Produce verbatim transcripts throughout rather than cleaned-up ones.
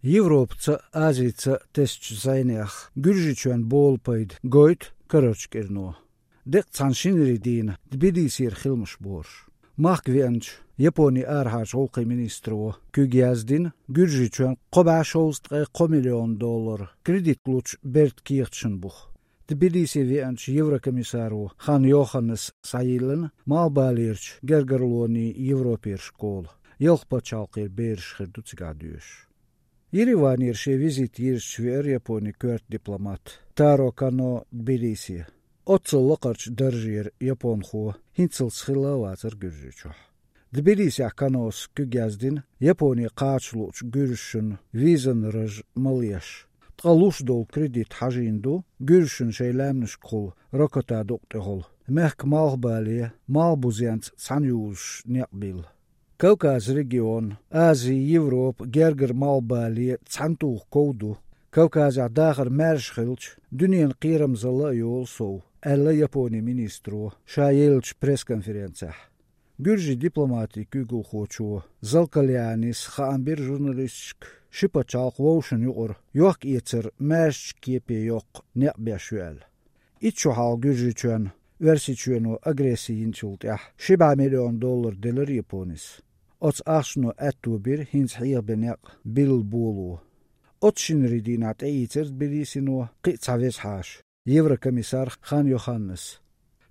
Европаца а, Азица а тесначу зӀенех Гуьржийчоьнна болу пайда гойту карарчу кӀирано. Декъа цхьана шинарин дийнахь Тбилисера хиламаш борш. Махка веанчу Японин арахьарчу гӀуллакхийн министро куьг яздина Гуьржийчоьнна кхо бӀе шовзткъе кхо миллион доллар кредит лучу бертан кехаташна буха. Тбилисе веанчу еврокомиссаро Хан Йоханнес схьайиллина Малхбалерчу гергарлонийн Европера школа. Ялх пачхьалкхера бераш хир ду цигахь доьшуш. Ереванера шен визит йирзича веара Японин коьрта дипломат Таро Кано Тбилисе. Оццул лакхарчу даржера японхо хӀинццалц хилла а вацара Гуьржийчохь. Тбилисехь Канос куьг яздина Японе кхача луучу гуьржашна визан раж ма леш. Ткъа луш долу кредит хьажийна ду гуьржашна шайн лаьмнашкахула Рокота дукъ тӀехула, мехкан малхбале, малхбузенца цхьаьна юзуш некъ билла. Кавказ регион, Ази, Европа, Гергара малхбале цхьаьнатуху ков ду. Кавказехь дахар маьрша хилча, дуьненан кхерамзалла а йолу сов, аьлла Японин министро ша еллачу пресс-конференцехь. Гуьржийн дипломатин куьйгалхочо Залкалианис хаам бира журналисташка, ши пачхьалкх вовшашна юкъара йохка-эцар маьршачу кепе йоккха некъ беш ю аьлла. Итт шо хьалха Гуьржийчоьнна Оьрсийчоьно агресси йинчул тӀаьхьа ши бӀе миллион доллар делира Японис. Оцу ахчано аьтто бира хӀинца хьехабен некъ билла боло. Оцу шинарин дийнахь тӀеийцира Тбилисино кхин а цхьа веза хьаша, еврокомиссар Хан Йоханнес.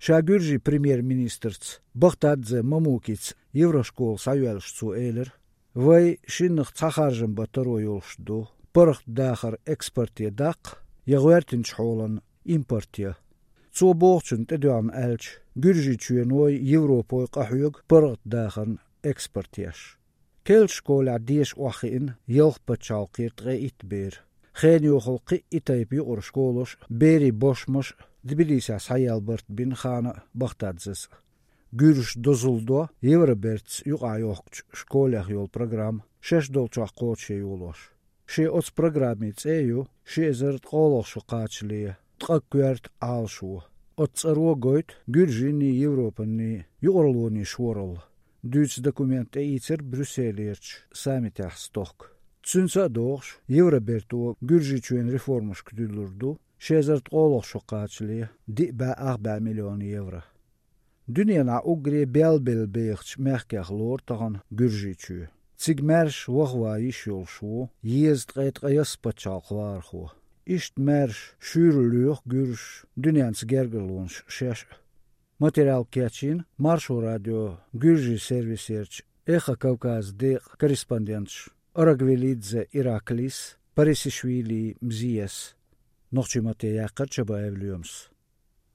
Ша Гуьржийн премьер-министрца Бахтадзе Мамукица еврошкола схьайоьллуш цо элира: «Вай шиннах цхьа харжам бан таро йолуш ду, паргӀатдахар экспорте даккха, я гӀоьртинчу хьолан импорте». Цо бохучунна тӀедоьгӀна аьлча, Гуьржийчоьной, Европой къахьоьгу паргӀатдахарна экспорт еш. Керла школехь деша охьахиъна ялх пачхьалкхера ткъе итт бер. Хенан йохалла кхин а и тайпа юкъара школаш а, берийн бошмаш а Тбилисехь схьаяьлла барт бина Хана а, Бахтадзес а. Гуьржаш дозалла до евробертаца юкъахь йохкучу школех йолу программа, шаьш долчохь кхочушъян йолош. Шен оцу программин цӀе а ю ши эзар ткъолгӀа шо кхачале ткъа коьрта Ӏалашо. Оцу цӀаро гойту Гуьржийний, Европанний юкъараллонийн шоралла. Дуьйцу документ тӀеийцира Брюсселерчу саммитехь стохка. Цуьнца а догӀуш, Евроберто Гуьржийчоьнан реформашка дуьллур ду ши эзар ткъолгӀа шо кхачале диъ бӀе ах бӀе миллион евро. Дуьненахь уггаре белла-белла бехачу мехкех лору тахана Гуьржийчоь. Цига маьрша вахаван йиш йолуш ву езткъе ткъайоьсна пачхьалкхан вахархо. Иштта маьрша, шуьйра лоьху гуьржаш дуьненца гергарлонаш шаьш а. Материал кечйина Маршо радион гуьржийн сервисерчу «Эхо Кавказа» декъан корреспонденташа Орогвелидзе Ираклис, Парисишвили Мзиес. Нохчийн маттахь яьккхира Чабаев Лоьмас.